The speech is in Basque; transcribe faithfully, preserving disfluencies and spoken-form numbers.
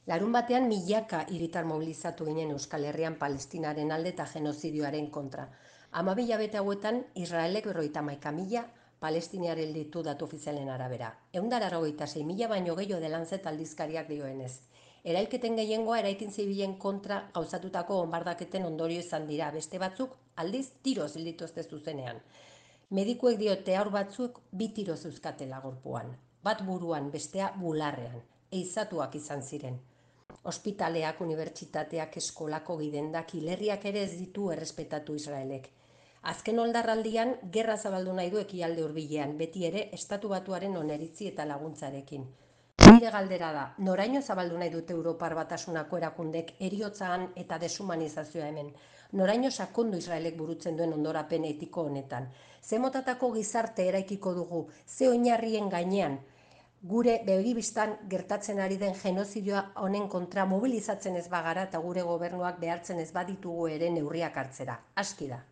Larunbatean milaka hiritar mobilizatu ginen Euskal Herrian Palestinaren alde eta genozidioaren kontra. Hamabi hilabete hauetan Israelek berrogeita hamaika mila palestiniar ditu datu ofizialen arabera. Ehun eta laurogeita sei mila baino gehiago The Lancet aldizkariak dioenez. Erailketen gehiengoa eraikin zibilen kontra gauzatutako bonbardaketen ondorio izan dira, beste batzuk aldiz tiroz hil dituzte zuzenean. Medikuek diote haur batzuk bi tiro zeuzkatela gorpuan, bat buruan, bestea bularrean, ehizatuak izan ziren. Ospitaleak, unibertsitateak, eskolako gidendak, hilerriak ere ez ditu errespetatu Israelek. Azken oldarraldian, gerra zabaldu nahi du ekialde hurbilean, beti ere estatu batuaren oneritzi eta laguntzarekin. Nire galdera da, noraino zabaldu nahi dute Europar Batasunako erakundek heriotzan eta deshumanizazioa hemen? Noraino sakondu Israelek burutzen duen ondorapen etiko honetan? Ze motatako gizarte eraikiko dugu, ze oinarrien gainean? Gure begibistan gertatzen ari den genozidioa honen kontra mobilizatzen ez bagara eta gure gobernuak behartzen ez baditugu ere neurriak hartzera. Aski da.